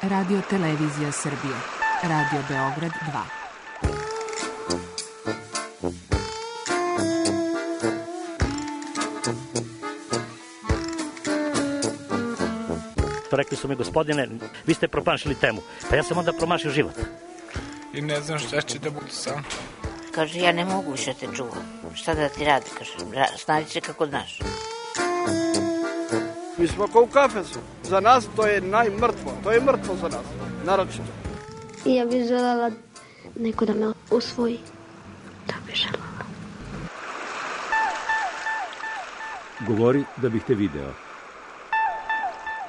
Radio Televizija Srbije. Radio Beograd 2. Rekli su mi, gospodine, vi ste promašili temu. Pa ja sam onda promašio život. I ne znam šta će da budu sam. Kaže, ja ne mogu više te čuvam. Šta da ti radi, kaže, snađi se kako znaš. Mi smo kao u kafesu. Za nas to je najmrtvo. To je mrtvo za nas, naročito. I ja bih željela neko da me usvoji. Da bih željela. Govori da bih te video.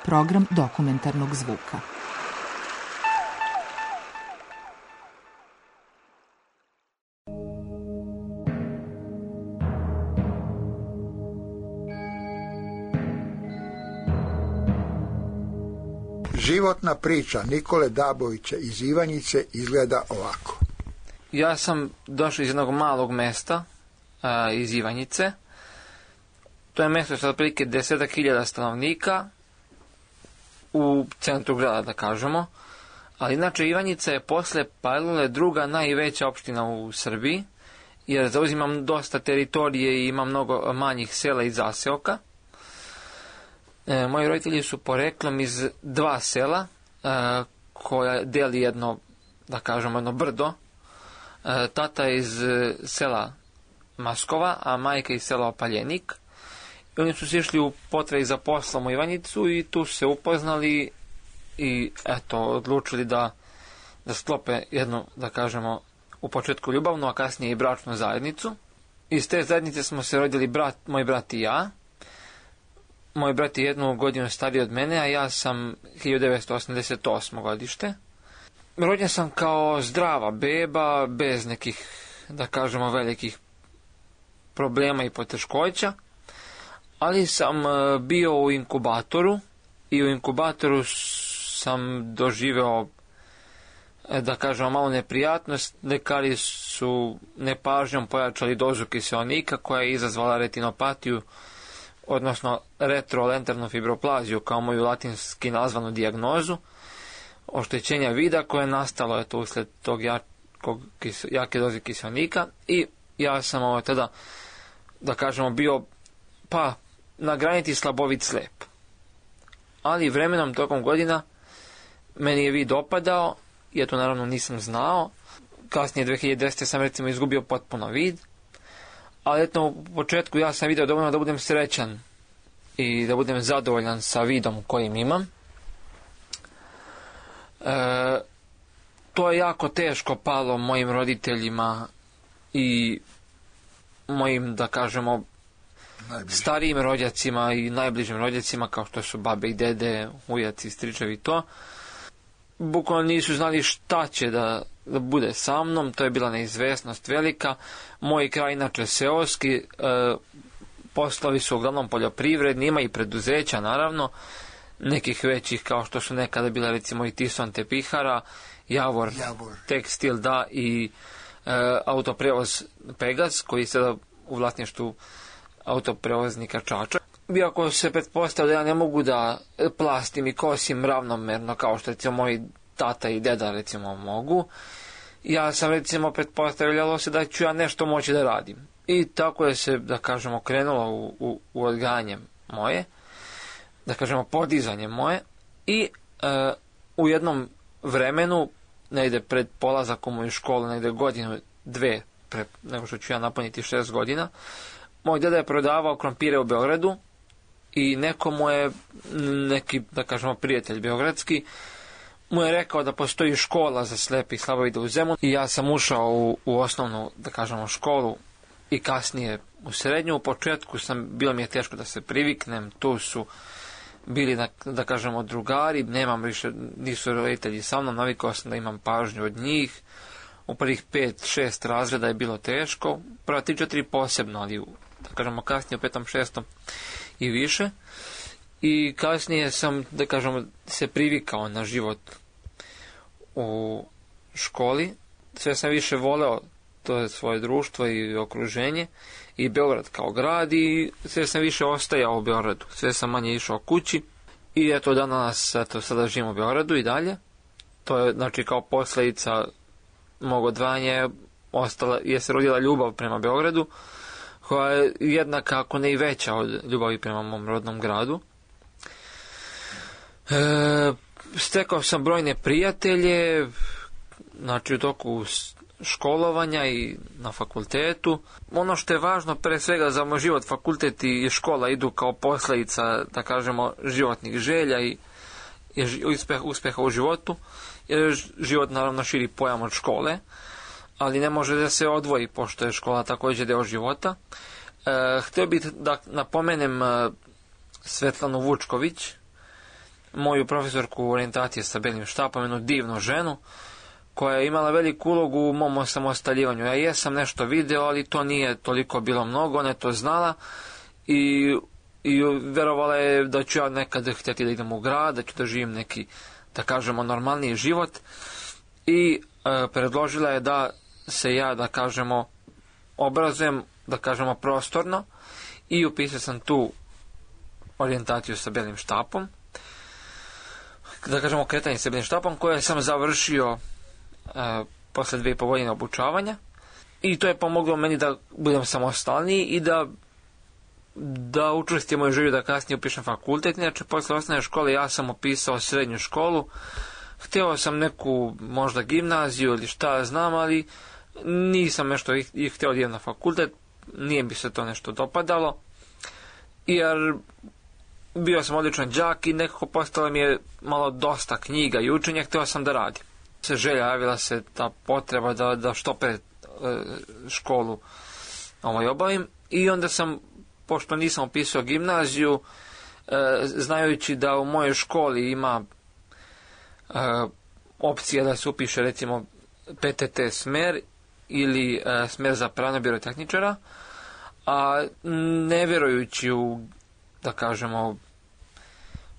Program dokumentarnog zvuka. Životna priča Nikole Dabovića iz Ivanjice izgleda ovako. Ja sam došao iz jednog malog mesta iz Ivanjice. To je mesto sa otprilike 10.000 stanovnika u centru grada, da kažemo. Ali inače Ivanjica je posle Palilule druga najveća opština u Srbiji, jer zauzimam dosta teritorije i ima mnogo manjih sela i zaseoka. Moji roditelji su poreklom iz 2 sela koja deli jedno, da kažemo, jedno brdo. Tata je iz sela Maskova, a majka iz sela Opaljenik. I oni su se išli u potrazi za poslom u Ivanjicu i tu se upoznali i eto, odlučili da sklope jednu, da kažemo, u početku ljubavnu, a kasnije i bračnu zajednicu. Iz te zajednice smo se rodili moj brat i ja. Moj brat je 1 godinu stariji od mene, a ja sam 1988. godište. Rođen sam kao zdrava beba, bez nekih, da kažemo, velikih problema i poteškoća, ali sam bio u inkubatoru i u inkubatoru sam doživeo, da kažemo, malo neprijatnost. Lekari su nepažnjom pojačali dozu kiseonika koja je izazvala retinopatiju, odnosno retrolentarnu fibroplaziju, kao moju latinski nazvanu dijagnozu, oštećenja vida koje je nastalo eto usled tog jake doze kiseonika. I ja sam tada, da kažemo, bio pa na granici slabovit slep. Ali vremenom tokom godina meni je vid opadao, ja to naravno nisam znao. Kasnije 2010. sam recimo izgubio potpuno vid. Ali eto, u početku ja sam vidio dovoljno da budem srećan i da budem zadovoljan sa vidom kojim imam. To je jako teško palo mojim roditeljima i mojim, da kažemo, starijim rođacima i najbližim rođacima, kao što su babe i dede, ujaci, stričevi i to. Bukvalno nisu znali šta će da bude sa mnom, to je bila neizvesnost velika. Moj kraj, inače seoski, poslovi su uglavnom poljoprivredni, ima i preduzeća naravno, nekih većih kao što su nekada bila recimo i Tison Tepihara, Javor Tekstil, da, i autoprevoz Pegas, koji je sada u vlasništvu autoprevoznika Čačak. Iako se pretpostavlja da ja ne mogu da plastim i kosim ravnomerno kao što recimo moji tata i deda recimo mogu, ja sam recimo pretpostavljalo se da ću ja nešto moći da radim. I tako je se, da kažemo, krenulo u odgajanje moje, da kažemo podizanje moje. I u jednom vremenu, negde pred polazak u moju školu, negde godinu, 2 nego što ću ja napuniti 6 godina, moj deda je prodavao krompire u Beogradu i neko mu je, neki, da kažemo, prijatelj beogradski, mu je rekao da postoji škola za slepe i slabovide u Zemunu. I ja sam ušao u osnovnu, da kažemo, školu i kasnije u srednju. U početku bilo mi je teško da se priviknem, tu su bili, da kažemo, drugari, nemam više, nisu roditelji sa mnom, navikao sam da imam pažnju od njih. U prvih 5-6 razreda je bilo teško, prva 3-4 posebno, ali da kažemo kasnije u 5. 6. i više. I kasnije sam, da kažemo, se privikao na život u školi. Sve sam više voleo to svoje društvo i okruženje i Beograd kao grad i sve sam više ostajao u Beogradu. Sve sam manje išao kući i eto danas, eto, sada živim u Beogradu i dalje. to je znači kao posljedica mog odvajanja je se rodila ljubav prema Beogradu, koja je jednaka, ako ne i veća od ljubavi prema mom rodnom gradu. Stekao sam brojne prijatelje, znači u toku školovanja i na fakultetu. Ono što je važno pre svega za moj život, fakultet i škola idu kao posljedica, da kažemo, životnih želja i uspeha u životu, jer život naravno širi pojam od škole, ali ne može da se odvoji, pošto je škola također deo života. Htio bih da napomenem Svetlanu Vučković, moju profesorku orijentacije sa belim štapom, jednu divnu ženu, koja je imala veliku ulogu u mom osamostaljivanju. Ja jesam nešto video, ali to nije toliko bilo mnogo, ona je to znala i verovala je da ću ja nekad htjeti da idem u grad, da ću da živim neki, da kažemo, normalniji život, i predložila je da se ja, da kažemo, obrazujem, da kažemo, prostorno, i upisao sam tu orijentaciju sa belim štapom, da kažemo kretanje sa belim štapom, koje sam završio posle 2,5 godine obučavanja, i to je pomoglo meni da budem samostalniji i da učvrstim moju želju da kasnije upišem fakultet. Inače, posle osnovne škole ja sam upisao srednju školu, htio sam neku možda gimnaziju ili šta znam, ali nisam nešto i htio da idem na fakultet, nije mi se to nešto dopadalo, jer bio sam odličan đak i nekako postalo mi je malo dosta knjiga i učenja, htio sam da radim. Javila se ta potreba da što pre školu obavim, i onda sam, pošto nisam upisao gimnaziju, znajući da u mojoj školi ima opcija da se upiše recimo PTT smer ili smer za pravnog birotehničara, a ne vjerujući u, da kažemo,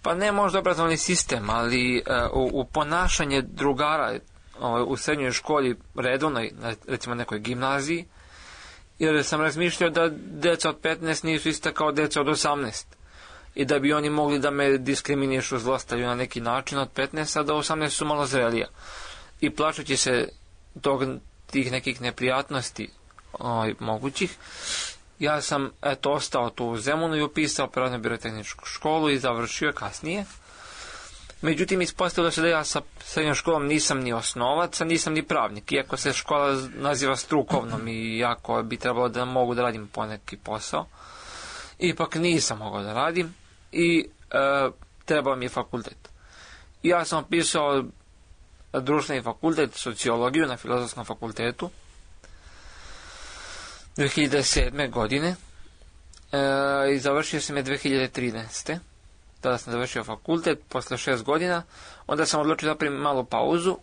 pa ne možda obrazovni sistem, ali u ponašanje drugara u srednjoj školi redovnoj, recimo nekoj gimnaziji, jer sam razmišljao da deca od 15 nisu ista kao deca od 18 i da bi oni mogli da me diskriminišu, zlostavljaju na neki način od 15, a da 18 su malo zrelija. I plašući se tih nekih neprijatnosti mogućih, ja sam ostao tu u Zemunu i upisao pravno birotehničku školu i završio kasnije. Međutim, ispostavilo se da ja sa srednjom školom nisam ni osnovac, a nisam ni pravnik, iako se škola naziva strukovnom i jako bi trebalo da mogu da radim poneki posao. Ipak nisam mogao da radim i trebao mi je fakultet. Ja sam upisao društveni fakultet, sociologiju na Filozofskom fakultetu 2007. godine i završio sam je 2013. Tada sam završio fakultet posle 6 godina, onda sam odlučio da primim malu pauzu,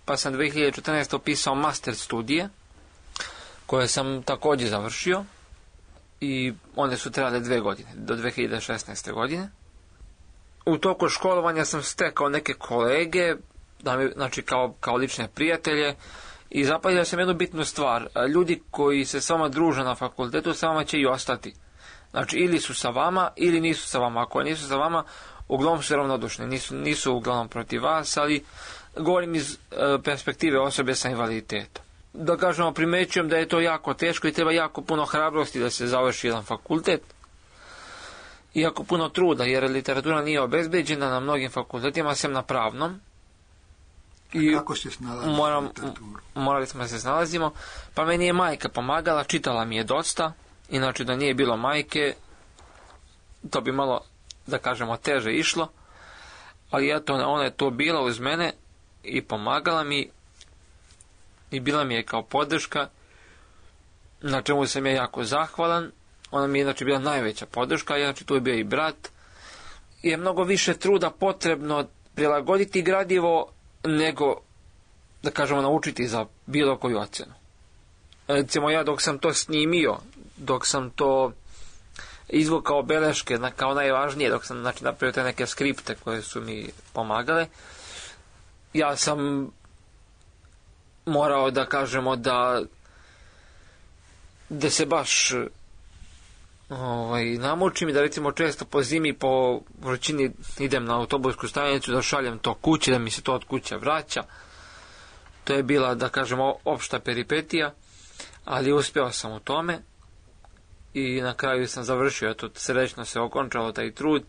pa sam 2014. upisao master studije, koje sam također završio, i one su trajale 2 godine, do 2016. godine. U toku školovanja sam stekao neke kolege, znači kao lične prijatelje, i zapazio sam jednu bitnu stvar. Ljudi koji se s vama druže na fakultetu, sa vama će i ostati. Znači, ili su sa vama, ili nisu sa vama. Ako nisu sa vama, uglavnom su ravnodušni. Nisu uglavnom protiv vas, ali govorim iz perspektive osobe sa invaliditetom. Da kažemo, primećujem da je to jako teško i treba jako puno hrabrosti da se završi jedan fakultet. I jako puno truda, jer literatura nije obezbeđena na mnogim fakultetima, sem na pravnom. I kako se snalazimo morali smo da se snalazimo, pa meni je majka pomagala, čitala mi je dosta, inače da nije bilo majke, to bi malo, da kažemo, teže išlo, ali eto, ona je to bila uz mene i pomagala mi i bila mi je kao podrška, na čemu sam ja jako zahvalan. Ona mi je inače bila najveća podrška, inače tu je bio i brat. Je mnogo više truda potrebno prilagoditi gradivo nego, da kažemo, naučiti za bilo koju ocenu. Recimo, ja dok sam to snimio, dok sam to izvukao beleške kao najvažnije, dok sam napravio te neke skripte koje su mi pomagale, ja sam morao, da kažemo, da se baš namučim i da recimo često po zimi po vrućini idem na autobusku stanicu da šaljem to kući, da mi se to od kuće vraća. To je bila, da kažemo, opšta peripetija, ali uspeo sam u tome i na kraju sam završio, eto, srećno se okončalo taj trud,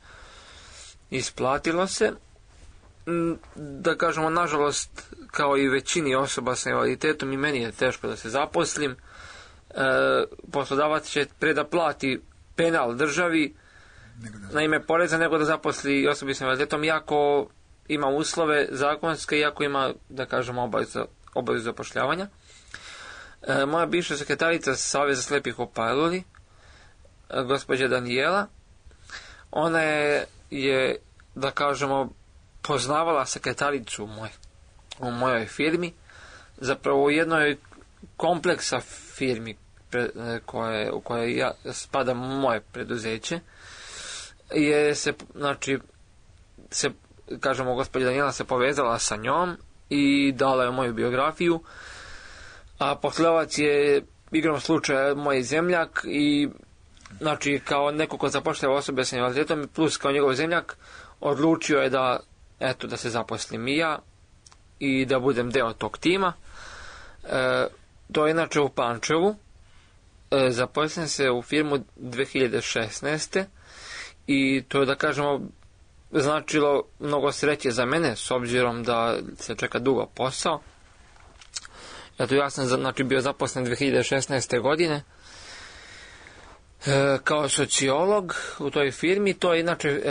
isplatilo se. Da kažemo, nažalost, kao i većini osoba sa invaliditetom, i meni je teško da se zaposlim. Poslodavac će pre da plati penal državi na ime poreza nego da zaposli osobi sa invaliditetom, iako ima uslove zakonske, iako ima, da kažemo, obavezu zapošljavanja. Moja bivša sekretarica Saveza slepih u Pajluli, gospođa Danijela, ona je, da kažemo, poznavala sekretaricu u mojoj firmi, zapravo u jednoj kompleksa firmi u kojoj spada moje preduzeće, kažemo, gospođa Danijela se povezala sa njom i dala je moju biografiju, a poslodavac je igrom slučaja moj zemljak i, znači, kao neko ko zapošljava osobe sa invaliditetom plus kao njegov zemljak, odlučio je da se zaposlim i ja i da budem deo tog tima. To je inače u Pančevu. Zaposlim se u firmu 2016. i to je, da kažemo, značilo mnogo sreće za mene, s obzirom da se čeka dugo posao. Eto, ja sam, znači, bio zaposlen 2016. godine kao sociolog u toj firmi. To je inače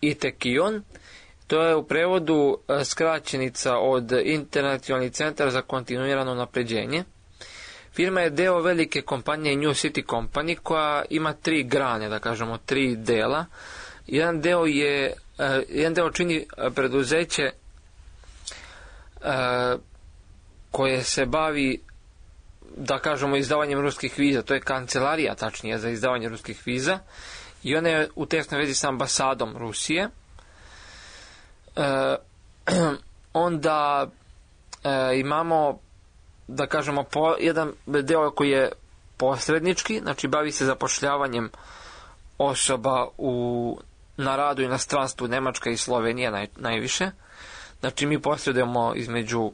ITEKION. To je u prevodu skraćenica od Internacionalni centar za kontinuirano napređenje. Firma je deo velike kompanije New City Company koja ima 3 grane, da kažemo 3 dela. Jedan deo čini preduzeće koje se bavi, da kažemo, izdavanjem ruskih viza. To je kancelarija, tačnije, za izdavanje ruskih viza i ona je u tesnoj vezi sa ambasadom Rusije. Onda imamo, da kažemo, jedan deo koji je posrednički, znači bavi se zapošljavanjem osoba na radu i inostranstvu, Nemačka i Slovenija najviše. Znači mi posredujemo između,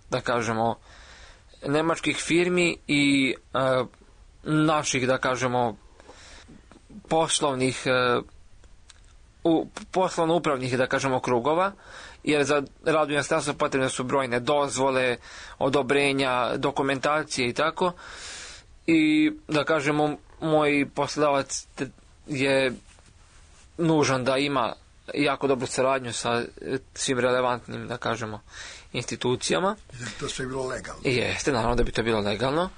da kažemo, nemačkih firmi i naših, da kažemo, poslovno-upravnih, da kažemo, krugova, jer za rad u inostranstvu potrebne su brojne dozvole, odobrenja, dokumentacije i tako. I, da kažemo, moj poslodavac je nužan da ima jako dobru saradnju sa svim relevantnim, da kažemo, institucijama. To sve je bilo legalno. Jeste, naravno da bi to bilo legalno.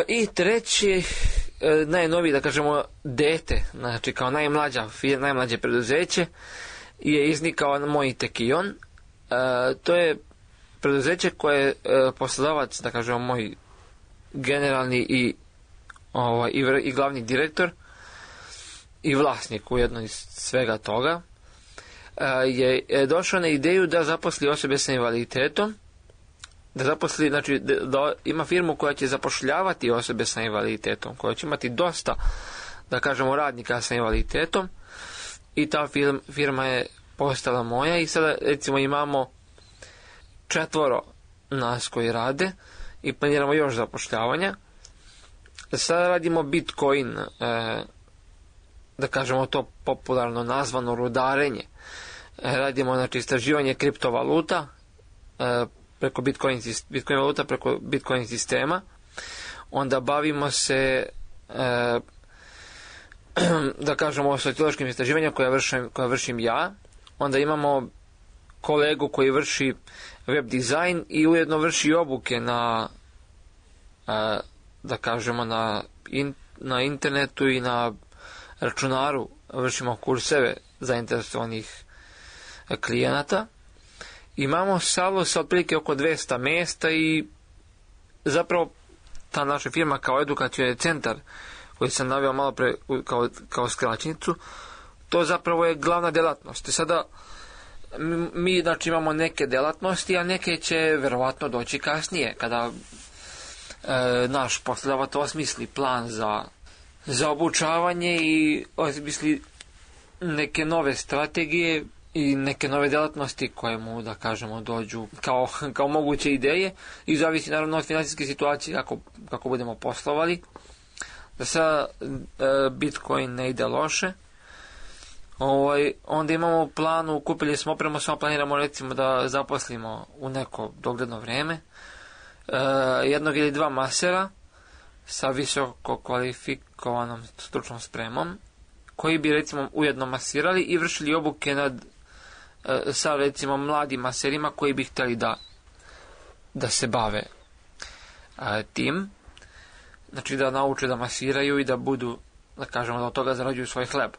I treći, najnoviji, da kažemo, dete, znači kao najmlađe preduzeće, je iznikao moj ITEKION. To je preduzeće koje je poslodavac, da kažemo, moj generalni i glavni direktor i vlasnik ujedno iz svega toga, je došao na ideju da zaposli osobe sa invaliditetom, znači da ima firmu koja će zapošljavati osobe sa invaliditetom, koja će imati dosta, da kažemo, radnika sa invaliditetom, i ta firma je postala moja i sada, recimo, imamo 4 nas koji rade i planiramo još zapošljavanja. Sada radimo Bitcoin, da kažemo to popularno nazvano rudarenje. Radimo, znači, istraživanje kriptovaluta preko Bitcoin valuta, preko Bitcoin sistema. Onda bavimo se, da kažemo, sociološkim istraživanjem koja vršim ja. Onda imamo kolegu koji vrši web dizajn i ujedno vrši obuke na, da kažemo, na internetu i na računaru. Vršimo kurseve zainteresovanih klijenata. Imamo salu sa otprilike oko 200 mjesta i zapravo ta naša firma kao edukacioni centar koji sam naveo malo pre kao skraćenicu, to zapravo je glavna delatnost. I sada mi, znači, imamo neke delatnosti, a neke će verovatno doći kasnije kada naš poslodavac osmisli plan za za obučavanje i osmisli neke nove strategije i neke nove delatnosti koje mu, da kažemo, dođu kao moguće ideje i zavisi naravno od financijske situacije kako budemo poslovali. Da sad Bitcoin ne ide loše. Onda imamo u planu, kupili smo opremu, samo planiramo recimo da zaposlimo u neko dogledno vreme jednog ili dva masera sa visoko kvalifikovanom stručnom spremom, koji bi recimo ujedno masirali i vršili obuke sa recimo mladim maserima koji bi htjeli da se bave tim, znači da nauče da masiraju i da budu, da kažemo, da od toga zarađuju svoj hleb,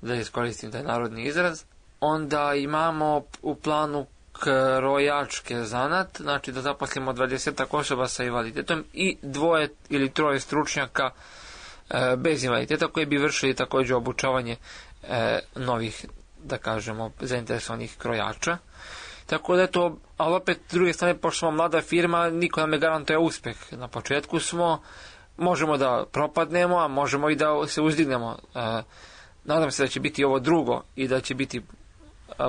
da iskoristim taj narodni izraz. Onda imamo u planu krojačke zanat, znači da zaposlimo 20 osoba sa invaliditetom i 2 ili 3 stručnjaka bez invaliditeta koji bi vršili također obučavanje novih, da kažemo, zainteresovanih krojača. Tako da je to, ali opet s druge strane, pošto smo mlada firma, niko nam ne garantuje uspjeh. Na početku možemo da propadnemo, a možemo i da se uzdignemo. Nadam se da će biti ovo drugo i da će biti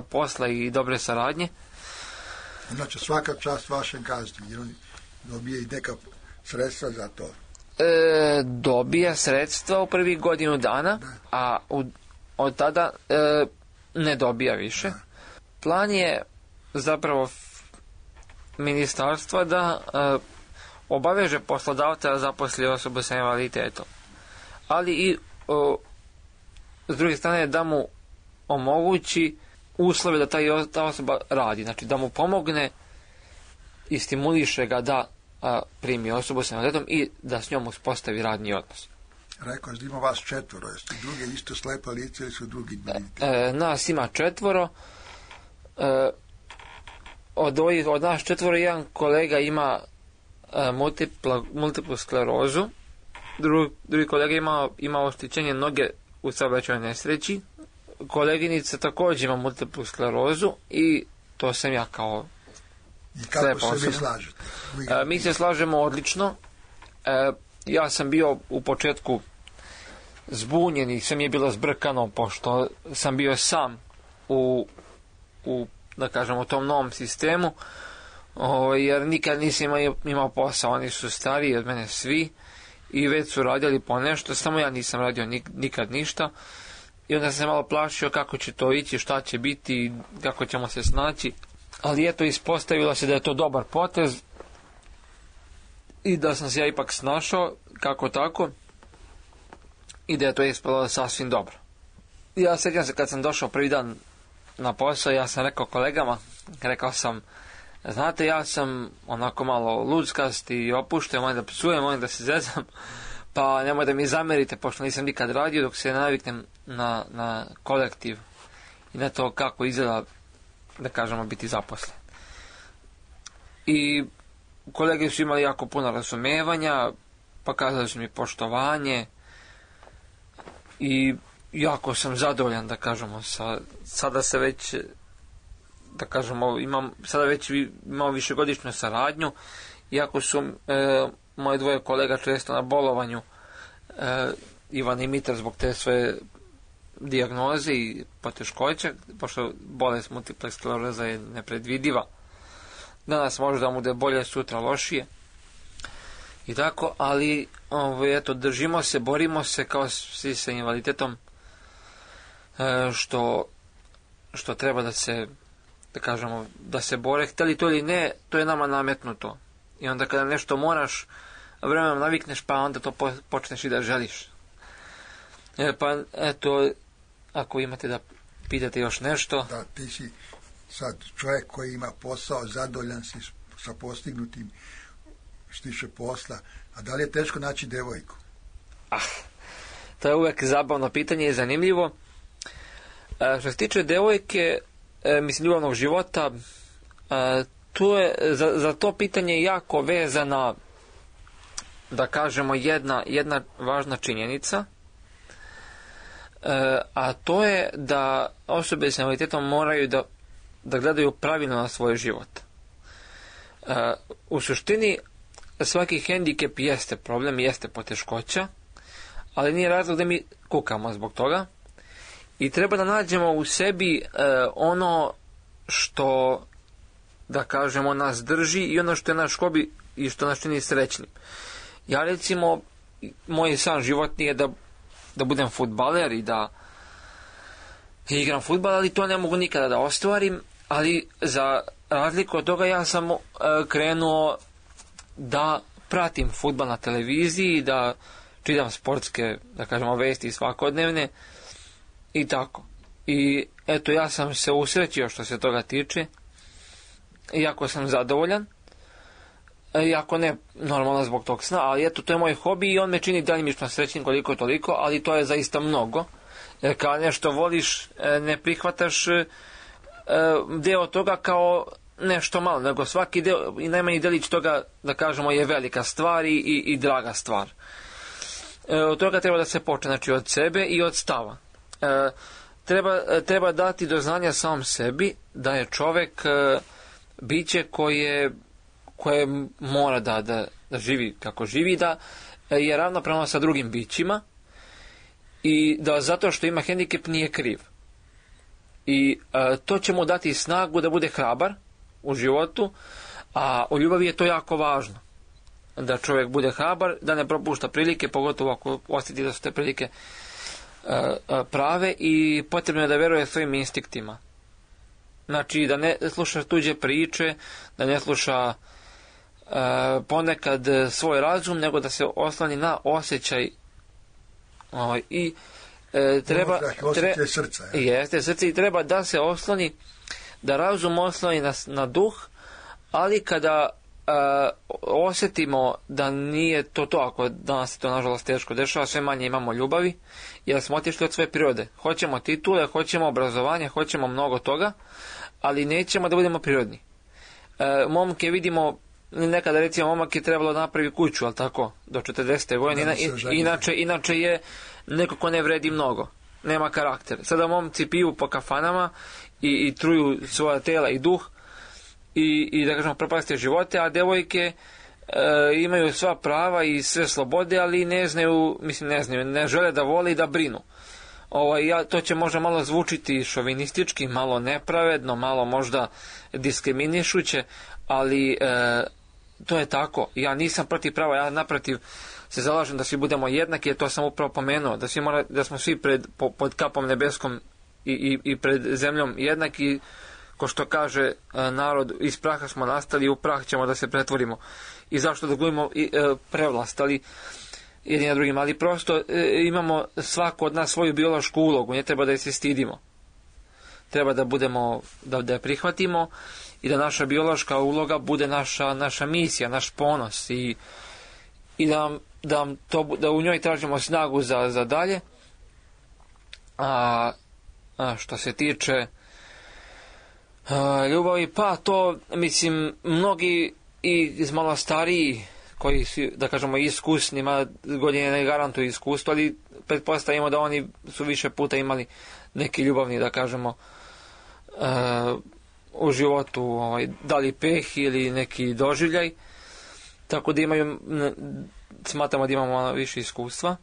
posla i dobre saradnje. Znači svaka čast vašem gazdi, jer on dobije i neka sredstva za to. Dobija sredstva u prvih godinu dana, a od tada ne dobija više. Plan je zapravo ministarstva da obaveže poslodavca da zaposli osobu sa invaliditetom, ali i s druge strane da mu omogući uslove da ta osoba radi, znači da mu pomogne i stimuliše ga da primi osobu sa invaliditetom i da s njom uspostavi radni odnos. Rekao da ima vas 4, jeste druge isto slepa lice ili su drugi invaliditeti? Nas ima 4. Od nas 4 jedan kolega ima multiplu sklerozu, drugi kolega ima oštećenje noge u saobraćajnoj nesreći, koleginica također ima multiplu sklerozu i to sam ja kao I kako se vi slažete? Mi se slažemo odlično. Ja sam bio u početku zbunjen i sve mi je bilo zbrkano, pošto sam bio sam u da kažemo, tom novom sistemu, jer nikad nisam imao posao. Oni su stariji od mene svi i već su radili po nešto, samo ja nisam radio nikad ništa. I onda sam se malo plašio kako će to ići, šta će biti, kako ćemo se snaći. Ali eto, ispostavilo se da je to dobar potez i da sam se ja ipak snašao kako tako i da je to ispalo sasvim dobro. Ja sjećam se kad sam došao prvi dan na posao, ja sam rekao kolegama, rekao sam, znate, ja sam onako malo luckast i opušten, mojem da psujem, mojem da se zezam, pa nemoj da mi zamerite, pošto nisam nikad radio, dok se ne naviknem na kolektiv i na to kako izgleda, da kažemo, biti zaposlen. I kolege su imali jako puno razumevanja, pokazali su mi poštovanje i jako sam zadovoljan, da kažemo, sada se već, da kažemo, sada već imamo višegodišnju saradnju, iako su moje 2 kolega često na bolovanju, Ivan i Mitar, zbog te svoje dijagnoze i poteškoća, pošto bolest multiple skleroza je nepredvidiva. Danas može da mu da je bolje, sutra lošije. I tako, ali eto, držimo se, borimo se kao svi sa invaliditetom, što treba da se, da kažemo, da se bore, htjeli to ili ne, to je nama nametnuto. I onda kada nešto moraš, vremenom navikneš, pa onda to počneš i da želiš. Pa eto, ako imate da pitate još nešto. Da, ti si sad čovjek koji ima posao, zadovoljan si sa postignutim, štiše posla, a da li je teško naći devojku? To je uvek zabavno pitanje i zanimljivo. Što se tiče devojke, mislim, ljubavnog života, tu je za to pitanje jako vezana, da kažemo, jedna važna činjenica, a to je da osobe s invaliditetom moraju da gledaju pravilno na svoj život. U suštini svaki hendikep jeste problem, jeste poteškoća, ali nije razlog da mi kukamo zbog toga. I treba da nađemo u sebi ono što, da kažemo, nas drži i ono što je naš hobi i što nas čini srećnim. Ja recimo, moj san životni je da budem fudbaler i da igram fudbal, ali to ne mogu nikada da ostvarim, ali za razliku od toga ja sam krenuo da pratim fudbal na televiziji, da čitam sportske, da kažemo, vesti svakodnevne i tako. I eto, ja sam se usrećio što se toga tiče, iako sam zadovoljan, iako ne normalno zbog tog sna, ali eto, to je moj hobi i on me čini dalimično srećnim koliko toliko, ali to je zaista mnogo. Jer kad nešto voliš, ne prihvataš deo toga kao nešto malo, nego svaki deo i najmanji delić toga, da kažemo, je velika stvar i draga stvar. Od toga treba da se počne, znači od sebe i od stava. Treba dati do znanja samom sebi da je čovek biće koje mora da živi kako živi, da je ravnopravno sa drugim bićima i da zato što ima hendikep nije kriv. I to će mu dati snagu da bude hrabar u životu, a u ljubavi je to jako važno. Da čovjek bude hrabar, da ne propušta prilike, pogotovo ako osjeti da su te prilike prave, i potrebno je da veruje svojim instinktima. Znači da ne sluša tuđe priče, da ne sluša ponekad svoj razum, nego da se osloni na osjećaj i srce, i treba da se osloni, da razum osloni na duh, ali kada osjetimo da nije to, ako danas se to nažalost teško dešava, sve manje imamo ljubavi, jer smo otišli od svoje prirode. Hoćemo titule, hoćemo obrazovanje, hoćemo mnogo toga, ali nećemo da budemo prirodni. Momke vidimo, nekada recimo momak je trebalo da napravi kuću, ali tako, do 40. godine, inače je neko ko ne vredi mnogo, nema karakter. Sada momci piju po kafanama i truju svoja tela i duh i da kažemo propastije živote, a devojke imaju sva prava i sve slobode, ali ne žele da vole i da brinu. To će možda malo zvučiti šovinistički, malo nepravedno, malo možda diskriminišuće, ali to je tako. Ja nisam protiv prava, ja naprotiv se zalažem da svi budemo jednaki, jer to sam upravo pomenuo, da smo svi pod kapom nebeskom i pred zemljom jednaki, ko što kaže narod, iz praha smo nastali i u prah ćemo da se pretvorimo. I zašto da gubimo prevlast, ali jedni na drugim, ali prosto imamo svako od nas svoju biološku ulogu, ne treba da je se stidimo. Treba da budemo, da je prihvatimo i da naša biološka uloga bude naša misija, naš ponos i da u njoj tražimo snagu za dalje. A što se tiče ljubavi, pa to, mislim, mnogi i malo stariji koji su, da kažemo, iskusni, godine ne garantuju iskustvo, ali pretpostavimo da oni su više puta imali neki ljubavni, da kažemo, u životu, da li peh ili neki doživljaj, tako da smatramo da imamo malo više iskustva.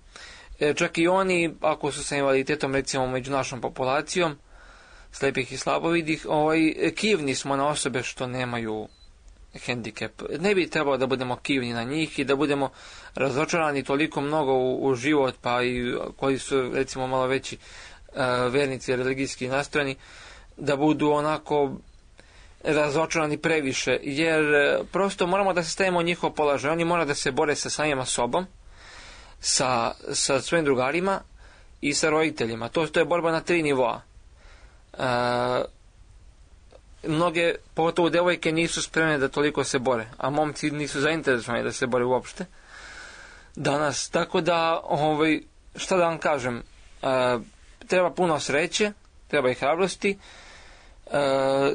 Čak i oni, ako su sa invaliditetom, recimo među našom populacijom, slepih i slabovidih, kivni smo na osobe što nemaju hendikep. Ne bi trebalo da budemo kivni na njih i da budemo razočarani toliko mnogo u život, pa i koji su, recimo, malo veći vernici, religijski nastrojeni, da budu onako razočarani previše, jer prosto moramo da se stavimo u njihov položaj. Oni moraju da se bore sa samima sobom, sa svojim drugarima i sa roditeljima. To je borba na 3 nivoa. Mnoge, pogotovo devojke, nisu spremne da toliko se bore, a momci nisu zainteresovani da se bore uopšte danas. Tako da, šta da vam kažem, treba puno sreće, treba i hrabrosti,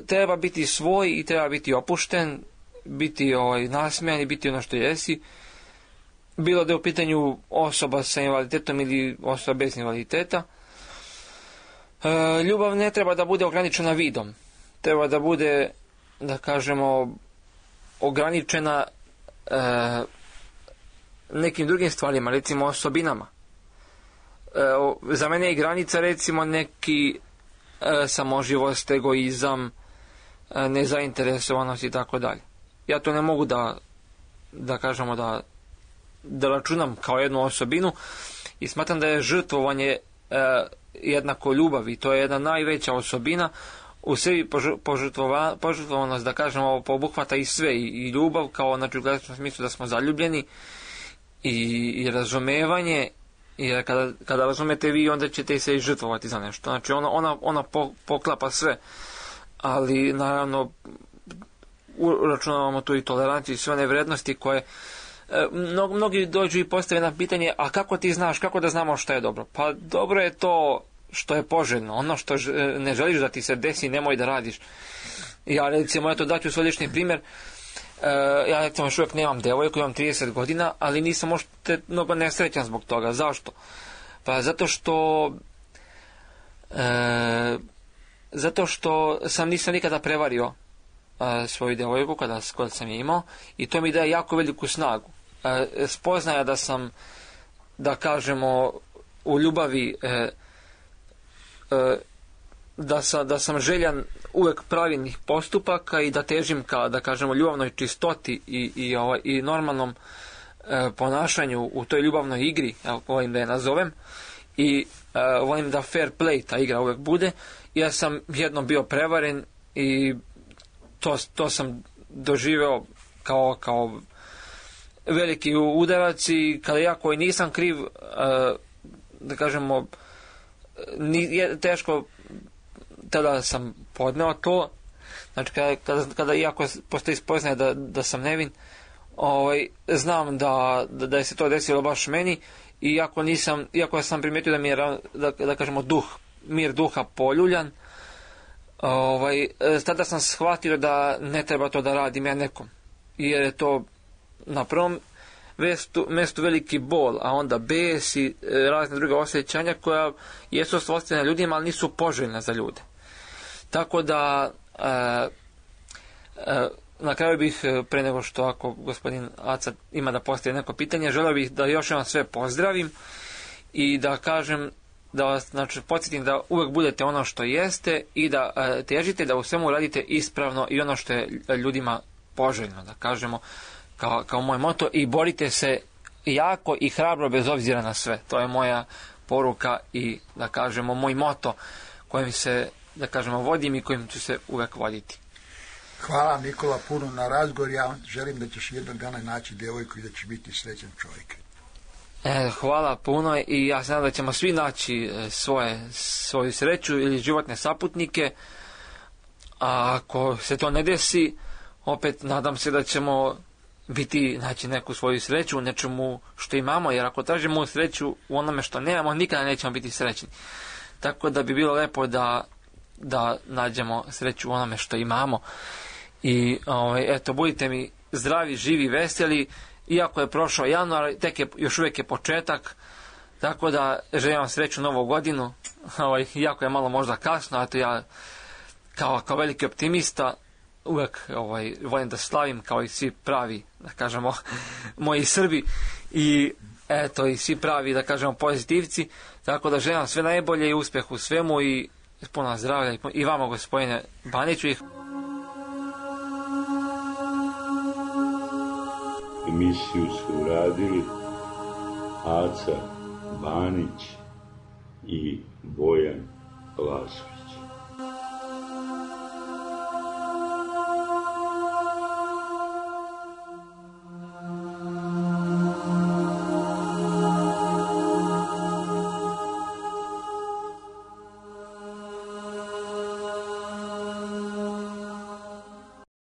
treba biti svoj i treba biti opušten, biti nasmejan i biti ono što jesi, bilo da je u pitanju osoba sa invaliditetom ili osoba bez invaliditeta. Ljubav ne treba da bude ograničena vidom, treba da bude, da kažemo, ograničena nekim drugim stvarima, recimo osobinama. za mene je granica recimo neki samoživost, egoizam, nezainteresovanost i tako dalje. Ja to ne mogu da kažemo da računam kao jednu osobinu i smatram da je žrtvovanje jednako ljubav i to je jedna najveća osobina. U sebi požrtvovanost, da kažemo, obuhvata i sve, i ljubav kao, znači, u gledičnom smislu da smo zaljubljeni, i razumevanje, jer kada razumete vi, onda ćete se i žrtvovati za nešto. Znači, ona poklapa sve, ali naravno uračunavamo tu i toleranciju i sve one vrednosti koje mnogi dođu i postave na pitanje, a kako ti znaš, kako da znamo što je dobro? Pa dobro je to što je poželjno, ono što ne želiš da ti se desi, nemoj da radiš. Ja recimo, eto daću svoj lični primjer, ja recimo još uvijek nemam devojku, imam 30 godina, ali nisam možda mnogo nesrećan zbog toga. Zašto? Pa zato što nisam nikada prevario svoju devojku kada sam je imao i to mi daje jako veliku snagu. Spoznaja da sam, da kažemo, u ljubavi, da sam željan uvek pravilnih postupaka i da težim ka, da kažemo, ljubavnoj čistoti i normalnom ponašanju u toj ljubavnoj igri, volim da je nazovem, i volim da fair play ta igra uvek bude. Ja sam jednom bio prevaren i to sam doživeo kao veliki udarac i kada ja koji nisam kriv, da kažemo, teško tada sam podneo to. Znači kada iako postoji spoznaje da sam nevin, znam da je se to desilo baš meni, i iako sam primijetio da mi je, da kažemo, mir duha poljuljan, tada sam shvatio da ne treba to da radim ja nekom, jer je to na prvom mjestu veliki bol, a onda bes i razne druge osjećanja koja jesu svojstvena ljudima, ali nisu poželjna za ljude. Tako da na kraju bih, pre nego što, ako gospodin Aca ima da postavi neko pitanje, želeo bih da još jednom sve pozdravim i da kažem, da vas, znači, podsjetim da uvek budete ono što jeste i da težite da u svemu radite ispravno i ono što je ljudima poželjno, da kažemo, kao moj moto, i borite se jako i hrabro bez obzira na sve. To je moja poruka i, da kažemo, moj moto kojim se, da kažemo, vodim i kojim ću se uvek voditi. Hvala, Nikola, puno na razgovor. Ja želim da ćeš jednog dana naći djevojku i da ćeš biti srećan čovjek. Hvala puno i ja se nadam da ćemo svi naći svoju sreću ili životne saputnike, a ako se to ne desi, opet nadam se da ćemo naći neku svoju sreću u nečemu što imamo, jer ako tražimo sreću u onome što nemamo, nikada nećemo biti srećni. Tako da bi bilo lepo da nađemo sreću u onome što imamo. I eto, budite mi zdravi, živi, veseli, iako je prošao januar, još uvijek je početak, tako da želim vam sreću novu godinu, iako je malo možda kasno, a to ja kao veliki optimista uvijek volim da slavim kao i svi pravi, da kažemo, moji Srbi i eto, i svi pravi, da kažemo, pozitivci, tako da želim vam sve najbolje i uspjeh u svemu i puno zdravlja i vama, gospodine Baniću. Emisiju su uradili Aca Banić i Bojan Lasović.